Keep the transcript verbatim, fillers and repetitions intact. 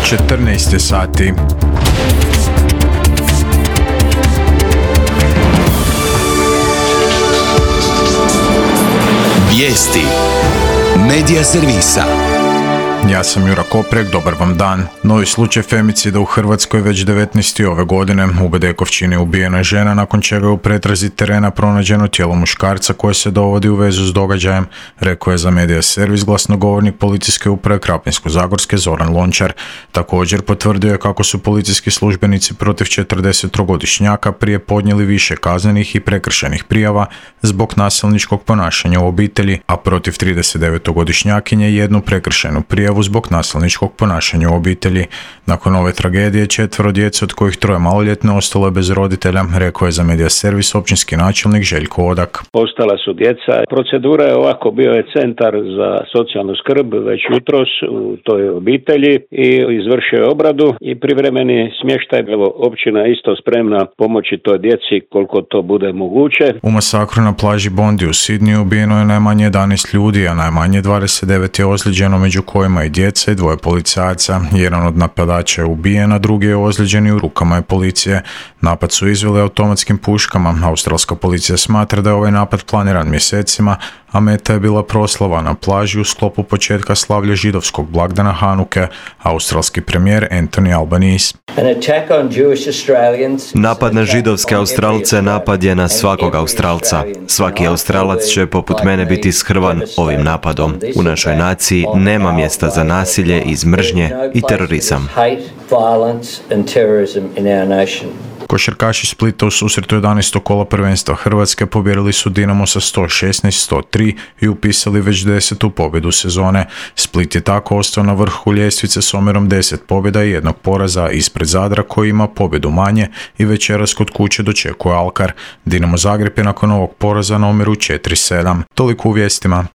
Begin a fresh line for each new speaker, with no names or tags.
četrnaest je sati.
Vijesti Medija servisa.
Ja sam Jura Koprek, dobar vam dan. Novi slučaj femicida u Hrvatskoj već devetnaesti ove godine. U Bedekovčini ubijena je žena, nakon čega je u pretrazi terena pronađeno tijelo muškarca koje se dovodi u vezu s događajem, rekao je za Medija servis glasnogovornik policijske uprave Krapinsko-zagorske Zoran Lončar. Također potvrdio je kako su policijski službenici protiv četrdesettrogodišnjaka prije podnijeli više kaznenih i prekršajnih prijava zbog nasilničkog ponašanja u obitelji, a protiv tridesetdevetogodišnjakinje jednu prekršajnu prijavu zbog nasilničkog ponašanja u obitelji. Nakon ove tragedije četvero djece, od kojih troje maloljetne, ostalo je bez roditelja, rekao je za Medija servis općinski načelnik Željko Odak.
Ostala su djeca. Procedura je ovako, bio je centar za socijalnu skrb već jutros u toj obitelji i izvršio je obradu i privremeni smještaj. Evo, općina je isto spremna pomoći toj djeci koliko to bude moguće.
U masakru na plaži Bondi u Sidniju ubijeno je najmanje jedanaest ljudi, a najmanje dvadeset devet je ozlijeđeno, među kojima i djeca i dvoje policajaca. Jedan od napadača je ubijen, a drugi je ozlijeđen i u rukama je policije. Napad su izveli automatskim puškama. Australska policija smatra da je ovaj napad planiran mjesecima, a meta je bila proslava na plaži u sklopu početka slavlja židovskog blagdana Hanuke. Australski premijer Anthony Albanese.
Napad na židovske Australce napad je na svakog Australca. Svaki Australac će poput mene biti shrvan ovim napadom. U našoj naciji nema mjesta za nasilje iz mržnje i terorizam.
Košarkaši Splita u susretu jedanaestog kola prvenstva Hrvatske pobjedili su Dinamo sa sto šesnaest sto tri i upisali već desetu pobjedu sezone. Split je tako ostao na vrhu ljestvice s omjerom deset pobjeda i jednog poraza ispred Zadra koji ima pobjedu manje i večeras kod kuće dočekuje Alkar. Dinamo Zagreb je nakon ovog poraza na omjeru četiri sedam. Toliko u vijestima.